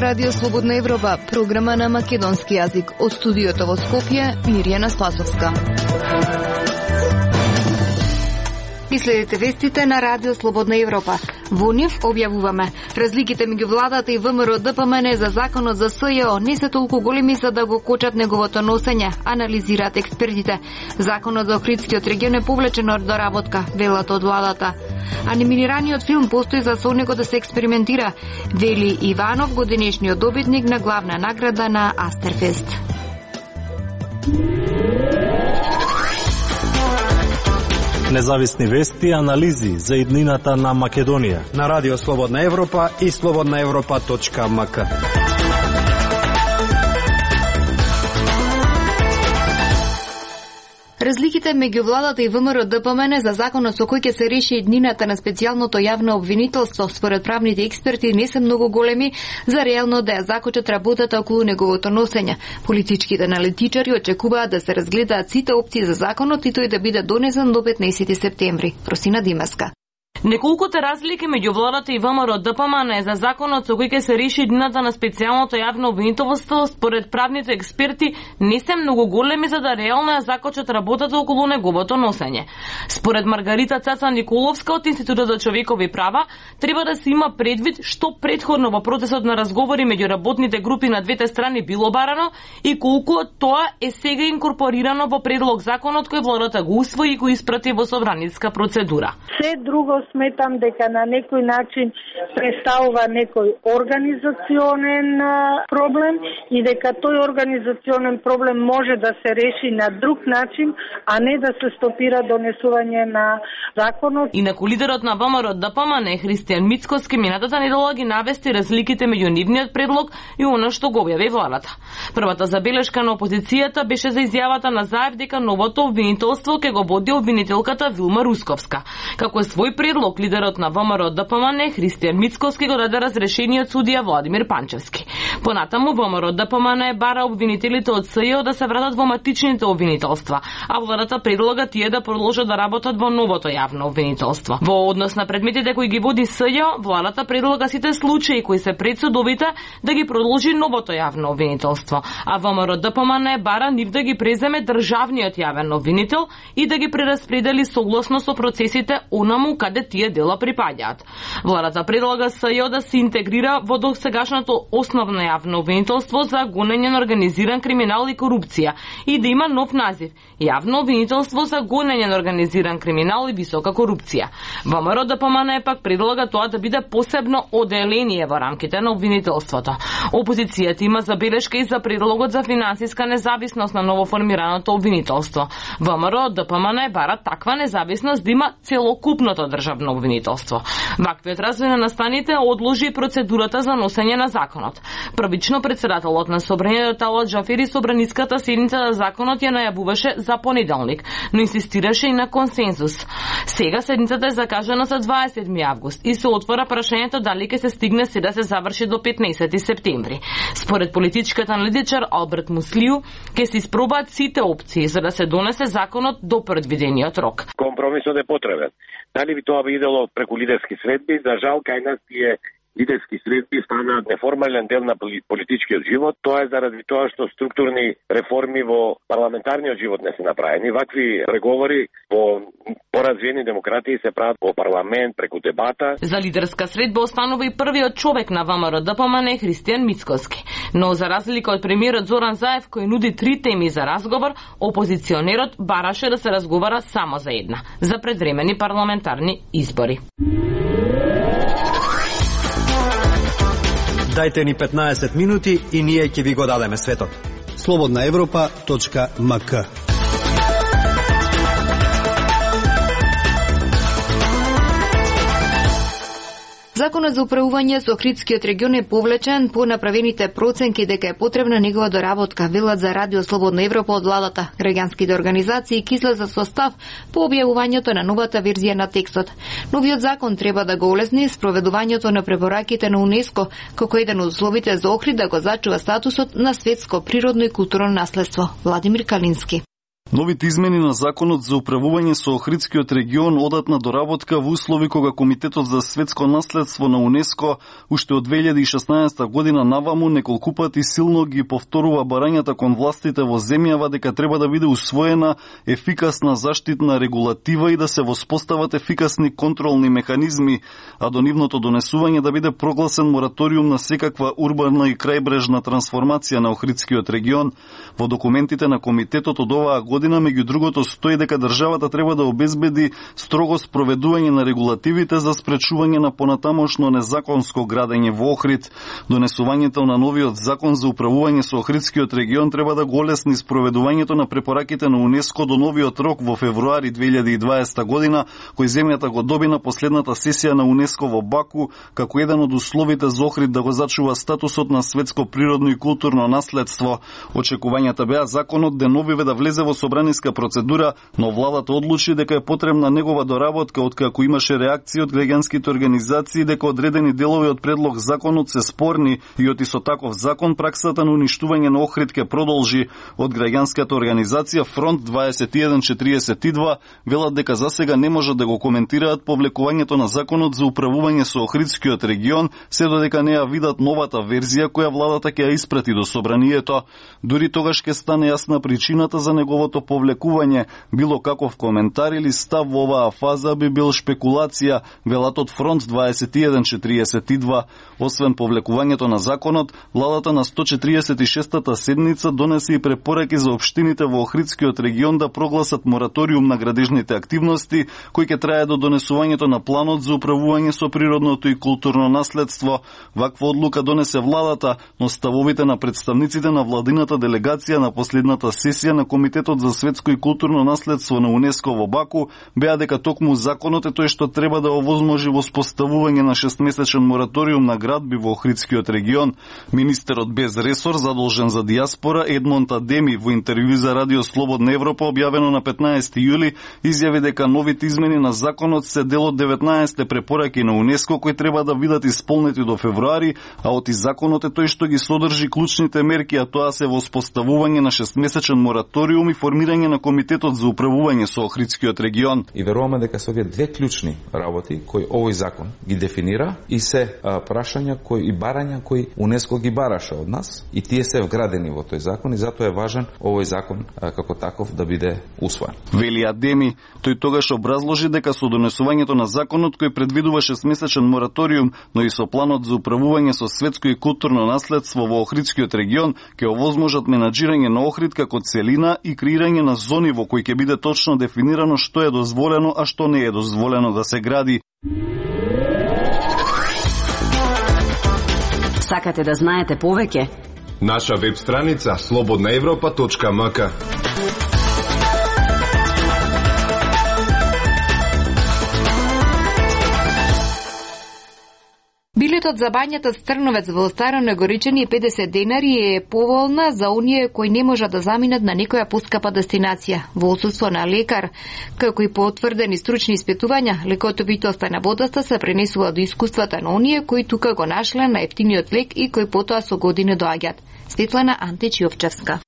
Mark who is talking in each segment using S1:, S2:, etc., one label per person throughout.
S1: Ова Радио Слободна Европа, програма на македонски јазик. Од студиото во Скопје, Мирјана Спасовска. И следите вестите на Радио Слободна Европа. Во нив објавуваме: разликите меѓу владата и ВМРО ДПМН за законот за СЈО не се толку големи за да го кочат неговото носење, анализираат експертите. Законот за Охридскиот регион е повлечен од доработка, велат од владата. Анимираниот филм постои за со него да се експериментира, вели Иванов, годинешниот добитник на главна награда на Астерфест.
S2: Независни вести и анализи за иднината на Македонија
S3: на Радио Слободна Европа и slobodnaevropa.mk.
S1: Разликите меѓу владата и ВМРО ДПМН за законот со кој ќе се реши иднината на специјалното јавно обвинителство, според правните експерти, не се многу големи за реално да ја закочат работата околу неговото носење. Политичките аналитичари очекуваат да се разгледаат сите опции за законот и тој да биде донесен до 15 септември. Просина Димеска.
S4: Неколкуте разлики меѓу владата и ВМРО ДПМН за законот со кој ќе се реши иднината на специјалното јавно обвинителство, според правните експерти, не се многу големи за да реално ја закочат работата околу неговото носење. Според Маргарита Цаца Николовска од Институтот за човекови права, треба да се има предвид што претходно во процесот на разговори меѓу работните групи на двете страни било барано и колку од тоа е сега инкорпорирано во предлог законот кој владата го усвои и го испрати во собраниска процедура.
S5: Се друго сметам дека на некој начин представува некој организационен проблем и дека тој организационен проблем може да се реши на друг начин, а не да се стопира донесување на законот.
S4: Инаку лидерот на ВМРО ДПМН Христијан Мицкоски минатата недела ги навести разликите меѓу нивниот предлог и она што го објави владата. Првата забелешка на опозицијата беше за изјавата на Заев дека новото обвинителство ќе го води обвинителката Вилма Русковска. Како е свој предлог, лидерот на ВМРО ДПМН Христијан Мицкоски го даде разрешение од судија Владимир Панчевски. Понатаму ВМРО ДПМН бара обвинителите од СЈО да се вратат во матичните обвинителства, а владата предлога тие да продолжат да работат во новото јавно обвинителство. Во однос на предметите кои ги води СЈО, владата предлога сите случаи кои се пред судовите да ги продолжи новото јавно обвинителство, а ВМРО ДПМН бара нив да ги преземе државниот јавен обвинител и да ги прераспредели согласно со процесите онаму каде тие дела припаѓаат. Владата предлага СЈО да се интегрира во досегашното основно јавно обвинителство за гонење на организиран криминал и корупција и да има нов назив – Јавно обвинителство за гонење на организиран криминал и висока корупција. ВМРО ДПМН пак предлага тоа да биде посебно оделение во рамките на обвинителството. Опозицијата има забелешка и за предлогот за финансиска независност на новоформираното обвинителство. ВМРО ДПМН бара таква независност да има целокупното државно обвинителство. Ваквиот развој на настаните одложи процедурата за носење на законот. Првично председателот на собранието Талат Джафери собраниската седница на законот ја најавуваше за понеделник, но инсистираше и на консензус. Сега седницата е закажана за 27 август и се отвора прашањето дали ќе се стигне се да се заврши до 15 септември. Според политичкиот аналитичар Алберт Муслију, ќе се испробаат сите опции за да се донесе законот до предвидениот рок.
S6: Компромисот е потребен. Дали би тоа би идело преку лидерски средби? За жал, кај нас тие лидерски средби станаат неформален дел на политичкиот живот. Тоа е заради тоа што структурни реформи во парламентарниот живот не се направени. Вакви преговори во поразвиени демократии се прават во парламент преку дебата.
S4: За лидерска средба останува и првиот човек на ВМРО ДПМН Христијан Мицкоски. Но за разлика од премиерот Зоран Заев кој нуди 3 теми за разговор, опозиционерот бараше да се разговара само за една – за предвремени парламентарни избори.
S3: Дајте ни 15 минути и ние ќе ви го дадеме светот. slobodnaevropa.mk.
S1: Законот за управување со Охридскиот регион е повлечен по направените проценки дека е потребна негова доработка, велат за Радио Слободна Европа од владата. Граѓанските организации ќе излезат со став по објавувањето на новата верзија на текстот. Новиот закон треба да го олесни спроведувањето на препораките на УНЕСКО, како еден од условите за Охрид да го зачува статусот на светско природно и културно наследство. Владимир Калински.
S7: Новите измени на законот за управување со Охридскиот регион одат на доработка во услови кога Комитетот за светско наследство на УНЕСКО уште од 2016 година наваму неколку пати силно ги повторува барањата кон властите во земјава дека треба да биде усвоена ефикасна заштитна регулатива и да се воспостават ефикасни контролни механизми, а до нивното донесување да биде прогласен мораториум на секаква урбана и крајбрежна трансформација на Охридскиот регион. Во документите на комитетот од оваа година меѓу другото стои дека државата треба да обезбеди строго спроведување на регулативите за спречување на понатамошно незаконско градење во Охрид. Донесувањето на новиот закон за управување со Охридскиот регион треба да го олесни спроведувањето на препораките на УНЕСКО до новиот рок во февруари 2020 година, кој земјата го доби на последната сесија на УНЕСКО во Баку, како еден од условите за Охрид да го зачува статусот на светско природно и културно наследство. Очекувањата беа законот деновиве да влезе во собраниска процедура, но владата одлучи дека е потребна негова доработка, откако имаше реакции од граѓанските организации дека одредени делови од предлог законот се спорни и од исто таков закон праксата на уништување на Охрид ке продолжи. Од граѓанската организација Фронт 2142 велат дека засега не можат да го коментираат повлекувањето на законот за управување со Охридскиот регион, се додека не ја видат новата верзија која владата ќе ја испрати до собранието. Дури тогаш ќе стане јасна причината за неговото повлекување. Било каков коментар или став во оваа фаза би бил шпекулација, велат од Фронт 2142. Освен повлекувањето на законот, владата на 146-та седница донесе и препораки за општините во Охридскиот регион да прогласат мораториум на градежните активности, кој ќе трае до донесувањето на планот за управување со природното и културно наследство. Ваква одлука донесе владата, но ставовите на представниците на владината делегација на последната сесија на Комитетот за светско и културно наследство на УНЕСКО во Баку беа дека токму законот е тој што треба да овозможи воспоставување на 6-месечен мораториум на градби во Охридскиот регион. Министерот без ресор задолжен за дијаспора Едмонд Адеми во интервју за Радио Слободна Европа објавено на 15 јули изјави дека новите измени на законот се дел од 19 препораки на УНЕСКО кои треба да бидат исполнети до февруари, а од законот е тој што ги содржи клучните мерки, а тоа се воспоставување на 6-месечен мораториум и формирање на Комитетот за управување со Охридскиот регион.
S8: И веруваме дека се овие две клучни работи кои овој закон ги дефинира и се прашања кои и барања кои УНЕСКО ги бараше од нас и тие се вградени во тој закон и затоа е важен овој закон како таков да биде усвоен.
S7: Вели Адеми, тој тогаш образложи дека со донесувањето на законот кој предвидува 6-месечен мораториум, но и со планот за управување со светско и културно наследство во Охридскиот регион ќе овозможат менаџирање на Охрид како целина и креирање на зони во кои ќе биде точно дефинирано што е дозволено, а што не е дозволено да се гради.
S9: Сакате да знаете повеќе?
S10: Наша веб страница slobodnaevropa.mk.
S1: Билетот за бањата Стрновец во Старо Негоричани е 50 денари и е поволна за оние кои не можат да заминат на некоја поскапа дестинација. Во отсуство на лекар, како и по утврдени стручни испитувања, лекотовитоста на водата се пренесува до искуствата на оние кои тука го нашле на ефтиниот лек и кои потоа со години доаѓаат. Светлана Античиовчевска.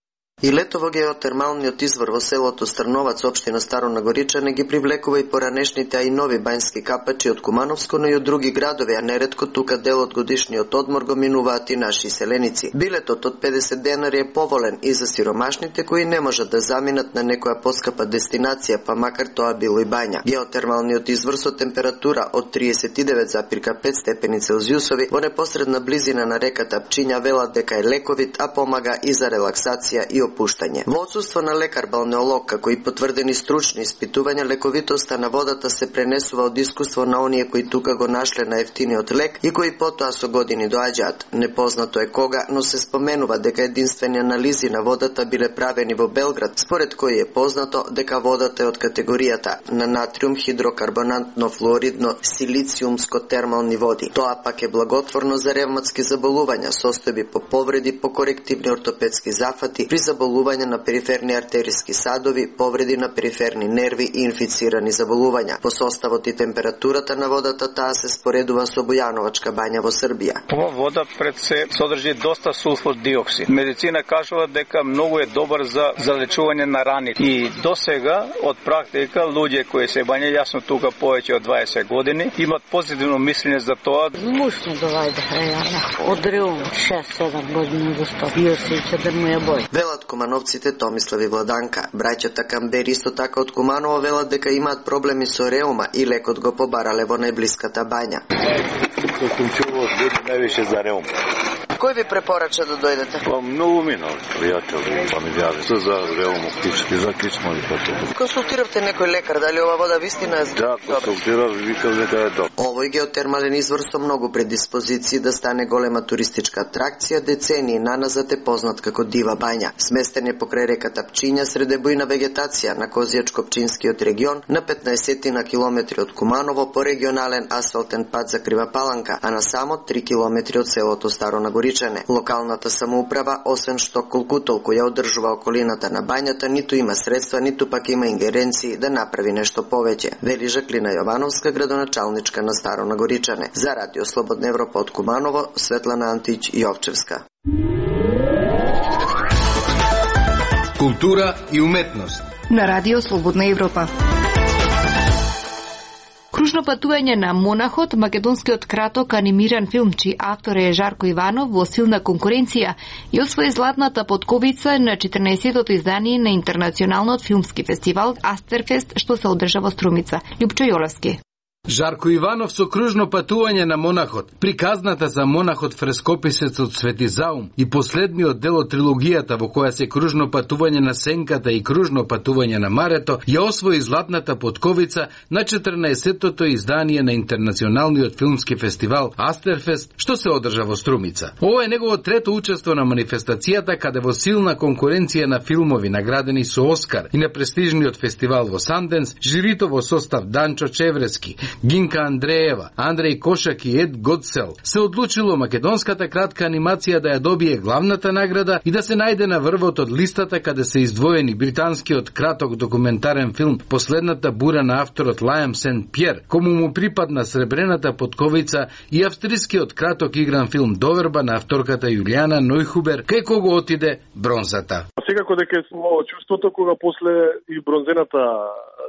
S11: И лето во геотермалниот извор во селото Стрновац, општина Старо Нагоричане, ги привлекува и поранешните, а и нови бањски капачи од Кумановско, но и од други градови, а неретко тука дел од годишниот одмор го минуваат и наши селеници. Билетот од 50 денари е поволен и за сиромашните кои не можат да заминат на некоја поскапа дестинација, па макар тоа било и бања. Геотермалниот извор со температура од 39,5 степени Целзиусови во непосредна близина на реката Пчиња велат дека е лековит, а помага и за релаксација и опуштање. Во отсуство на лекар балнеолог, како и потврдени стручни испитувања, лековитоста на водата се пренесува од искуство на оние кои тука го нашле на ефтиниот лек и кои потоа со години доаѓаат. Непознато е кога, но се споменува дека единствени анализи на водата биле правени во Белград, според кои е познато дека водата е од категоријата на натриум хидрокарбонатно флуоридно силициумско термални води. Тоа пак е благотворно за ревматски заболувања, состојби по повреди, по корективни ортопедски зафати, при заболувања на периферни артериски садови, повреди на периферни нерви и инфицирани заболувања. По составот и температурата на водата таа се споредува со Бојановачка бања во Србија.
S12: Ова вода пред се содржи доста сулфур диоксид. Медицина кажува дека многу е добар за залечување на рани. И досега од практика луѓе кои се бањаат, јасно тука повеќе од 20 години, имат позитивно мислење за тоа.
S13: Мушно довајде, од Реум 6-7 години достап. Јосиќа да му ја бој.
S11: Велат кумановците Томислав и Владанка. Браќата Камбери исто така од Куманово велат дека имаат проблеми со реума и лекот го побарале во најблиската бања.
S6: Тоа сум чувал од највише за реум.
S11: Кој ви препорача да дојдете?
S6: Па многу минал, пријател, па ми јави за реум, за кичмо и така.
S11: Консултиравте некој лекар, дали ова вода вистина е
S6: добра? Да, консултирав и викав дека е добра.
S11: Овој геотермален извор со многу предиспозиции да стане голема туристичка атракција децении наназад е познат како Дива бања. Сместен е покрај реката Пчиња среде бујна вегетација на Козијачко-Пчинскиот регион на 15 на километри од Куманово по регионален асфалтен пат за Крива Паланка, а на само 3 километри од селото Старо Нагоричане. Локалната самоуправа, освен што колку толку ја одржува околината на бањата, ниту има средства, ниту пак има ингеренции да направи нешто повеќе, вели Жаклина Јовановска, градоначалничка на Старо Нагоричане. За Радио Слободна Европа од Куманово, Светлана Антич Јовчевска.
S3: Култура и уметност
S1: на Радио Слободна Европа. Кружно патување на Монахот, македонскиот краток анимиран филм, чиј автор е Жарко Иванов, во силна конкуренција и освои златната потковица на 14-тото издание на интернационалниот филмски фестивал Астерфест, што се одржа во Струмица. Лјупчо Јолевски.
S3: Жарко Иванов со кружно патување на Монахот, приказната за монахот фрескописецот Свети Заум и последниот дел од трилогијата во која се кружно патување на Сенката и кружно патување на Марето, ја освои златната потковица на 14-тото издание на интернационалниот филмски фестивал Астерфест, што се одржа во Струмица. Ова е негово трето учество на манифестацијата, каде во силна конкуренција на филмови наградени со Оскар и на престижниот фестивал во Санденс, жирито во состав Данчо Чеврески, Гинка Андреева, Андреј Кошак и Ед Годсел се одлучило македонската кратка анимација да ја добие главната награда и да се најде на врвот од листата каде се издвоени британскиот краток документарен филм Последната бура на авторот Лајам Сен Пјер, кому му припадна сребрената потковица, и австрискиот краток игран филм Доверба на авторката Јулијана Нојхубер, кај кого отиде бронзата.
S14: Секако дека е чувството кога после и бронзената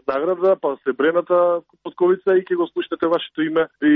S14: награда, па сребрената потковица и ќе го слушнете вашето име и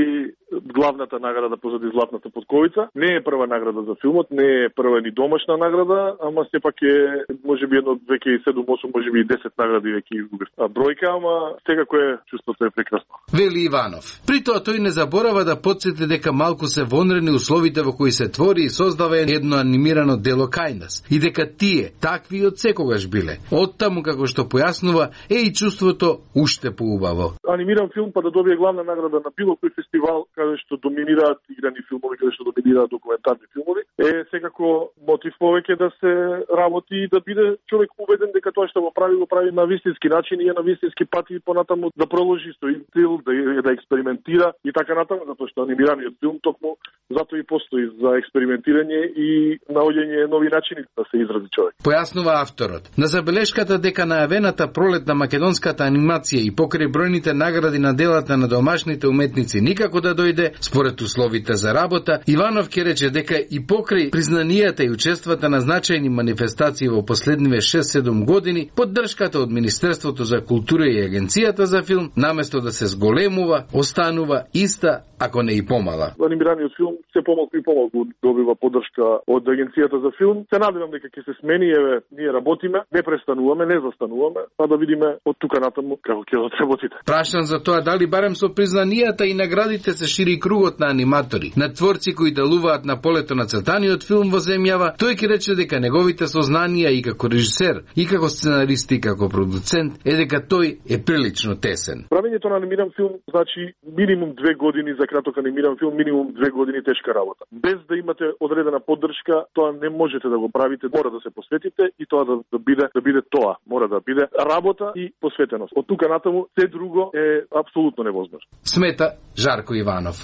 S14: главната награда позади златната потковица. Не е прва награда за филмот, не е прва ни домашна награда, ама сепак е можеби едно веќе и 7-8, можеби и 10 награди веќе изгубив. Бројка, ама секако е чувството е прекрасно.
S3: Вели Иванов. При тоа тој не заборава да потсети дека малку се вонрени условите во кои се твори и создава едно анимирано дело кај нас и дека тие такви од секогаш биле. Оттаму, како што појаснува, е и чувството уште поубаво.
S14: Анимиран филм па да добие главна награда на било кој фестивал каде што доминираат играни филмови, каде што доминираат документарни филмови, е секако мотив повеќе да се работи и да биде човек убеден дека тоа што го прави на вистински начин и на вистински пат и понатаму да продолжи со стил, да експериментира и така натаму, затоа што анимираниот филм токму затоа и постои за експериментирање и наоѓање нови начини да се изрази човек.
S3: Појаснува авторот. На забелешката дека најавената пролет на македонската анимација и покрај бројните награди на делата на домашните уметници никако да дојде, според условите за работа, Иванов ќе рече дека и покрај признанијата и учествата на значајни манифестации во последниве 6-7 години, поддршката од Министерството за култура и Агенцијата за филм, наместо да се зголемува, останува иста, ако не и помала.
S14: Анимираниот филм се помалку и помалку добива поддршка од Агенцијата за филм. Се надевам дека ќе се смени, ние работиме, не престануваме, не застануваме, па да видиме од тука натаму како ќе одработите.
S3: Прашан за тоа дали барем со признанијата и наградите се шири кругот на аниматори, на творци кои делуваат на полето на цртаниот филм во земјава, тој ќе рече дека неговите сознанија и како режисер, и како сценарист и како продуцент е дека тој е прилично тесен.
S14: Правењето на анимиран филм значи минимум 2 години за краток анимиран филм, минимум 2 години тешка работа. Без да имате одредена поддршка, тоа не можете да го правите, мора да се посветите и тоа да биде тоа, мора да биде работа и посветеност. Од тука натаму се друго е апсолутно невозможно.
S3: Смета Жарко Иванов.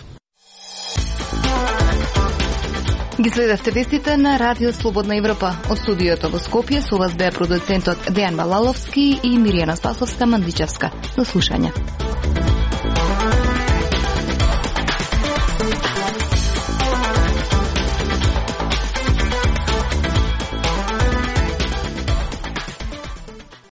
S1: Ги следевте вестите на Радио Слободна Европа. Од студиото во Скопје со вас беа продуцентот Дејан Балаловски и Миријана Спасовска-Мандичевска. До слушање.